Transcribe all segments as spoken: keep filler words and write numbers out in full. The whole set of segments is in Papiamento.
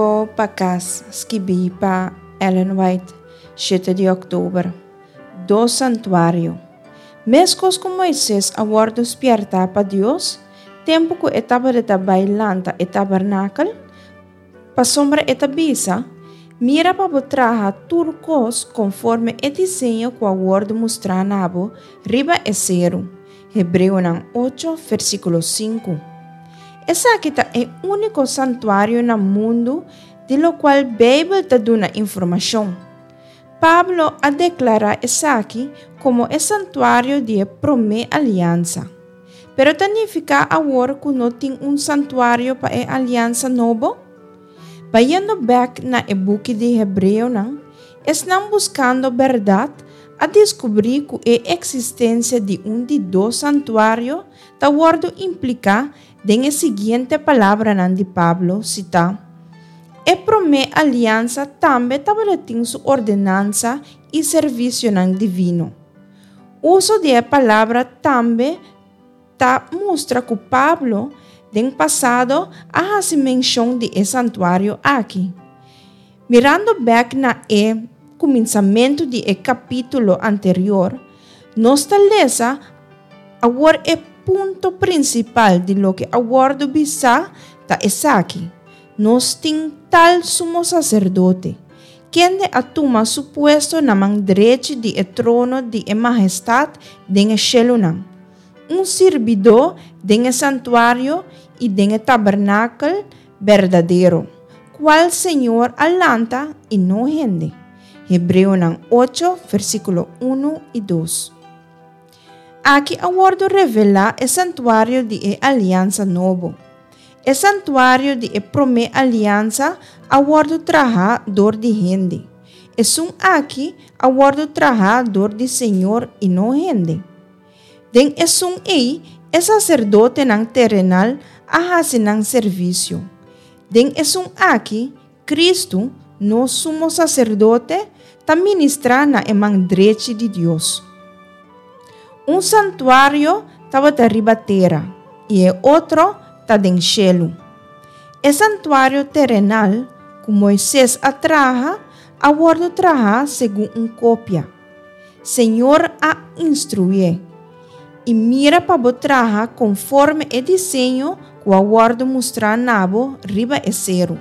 Rumbo pa Kas, skibí pa Ellen White, shete di òktober. Dos santuario. Meskos ku Moises a wòrdu spièrtá pa Dios, tempu ku e tabata bai lanta e tabernakel, pasobra e ta bisa: "Mira pa bo traha tur kos konforme e diseño ku a wòrdu mustrá na bo riba e seru. Hebreonan ocho, versíkulo sinku. Esaki ta e úniko santuario na mundu di lokual Beibel ta duna informashon. Pablo a deklará esaki komo e santuario di promé aliansa. Pero ta nifiká awor ku no tin un santuario pa e aliansa nobo? Bayendo bèk na e buki di Hebreonan, esnan buskando bèrdat a deskubrí ku e eksistensia di un di dos santuario ta wòrdu impliká den e siguiente palabranan di Pablo, sitá: "E promé aliansa tambe tabatin su ordenansa i servisionan divino." Uso di e palabra "tambe" ta mustra ku Pablo den pasado a hasi menshon di e santuario aki. Mirando bèk na e kuminsamentu di e kapítulo anterior, nos ta lesa: "Awor e punto prinsipal di loke a wòrdu bisá ta esaki: Nos tin tal sumo saserdote, kende a tuma su puesto na man drechi di e trono di e mahestat den e shelunan, un sirbidó den e santuario i den e tabernakel berdadero, kual Señor a lanta i no hende." Hebreonan ocho, versíkulo un i dos. Aki a wòrdu revelá e santuario di e aliansa nobo. E santuario di e promé aliansa a wòrdu trahá dor di hende. Esun aki a wòrdu trahá dor di Señor i no hende. Den esun ei, e saserdotenan terenal a hasi nan servisio. Den esun aki, Kristu, nos sumo saserdote, ta ministrá na e man drechi di Dios. Un santuario tabata riba tera i e otro ta den shelu. E santuario terenal, ku Moises a traha, a wòrdu trahá segun un kopia. Señor a instruié: "I mira pa bo traha konforme e diseño ku a wòrdu mustrá na bo riba e seru.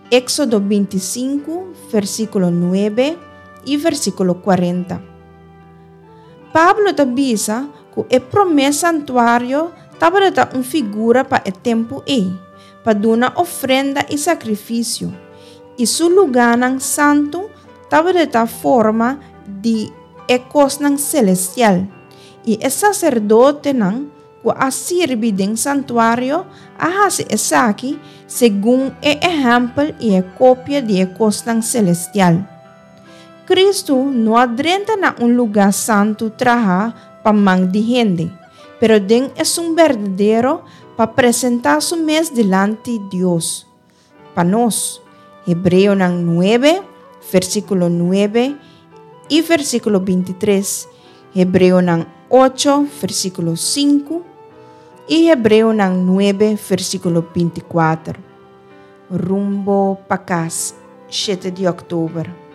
Éxodo bintisinku, versíkulo nuebe i versíkulo kuarenta. Pablo ta bisa ku e promé santuario tabata un figura pa e tempu ei, pa duna ofrenda i sakrifisio, i su lugánan santu tabata forma di e kosnan selestial, i e saserdotenan ku a sirbi den santuario a hasi esaki segun e ehèmpel i e kopia di e kosnan selestial. Kristu no a drenta na un lugá santu trahá pa man di hende, pero den esun berdadero pa presentá su mes dilanti Dios pa nos. Hebreonan nuebe, versíkulo nuebe i versíkulo bintitres, Hebreonan ocho, versíkulo sinku i Hebreonan nuebe, versíkulo bintikuater. Rumbo pa Kas, shete di òktober.